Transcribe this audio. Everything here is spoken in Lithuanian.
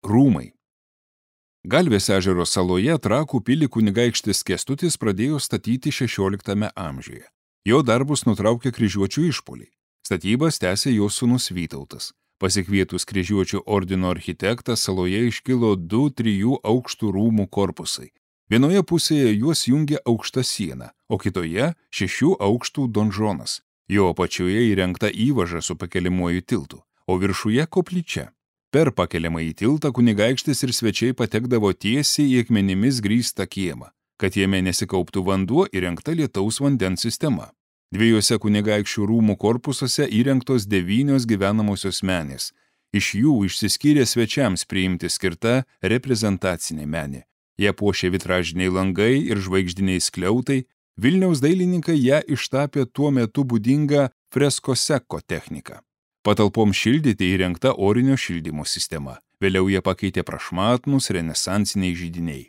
Rūmai. Galvės ežero saloje Trakų pilį kunigaikštis Kęstutis pradėjo statyti 16 amžiuje. Jo darbus nutraukė kryžiuočių išpuoliai. Statybas tęsė jo sūnus Vytautas. Pasikvietus kryžiuočių ordino architektą saloje iškilo 2-3 aukštų rūmų korpusai. Vienoje pusėje juos jungia aukšta siena, o kitoje 6 aukštų donžonas. Jo apačioje įrengta įvaža su pakeliamuoju tiltu, o viršuje koplyčia. Per pakeliamąjį tiltą kunigaikštis ir svečiai patekdavo tiesiai į akmenimis grįstą kiemą. Kad jame nesikauptų vanduo, įrengta lietaus vandens sistema. 2 kunigaikščių rūmų korpusuose įrengtos 9 gyvenamosios menės. Iš jų išsiskyrė svečiams priimti skirta reprezentacinė menė. Ją puošė vitražiniai langai ir žvaigždiniai skliautai. Vilniaus dailininkai ją ištapė tuo metu būdingą freskoseko techniką. Patalpom šildyti įrengta orinio šildymo sistema. Vėliau ją pakeitė prašmatnūs renesansiniai židiniai.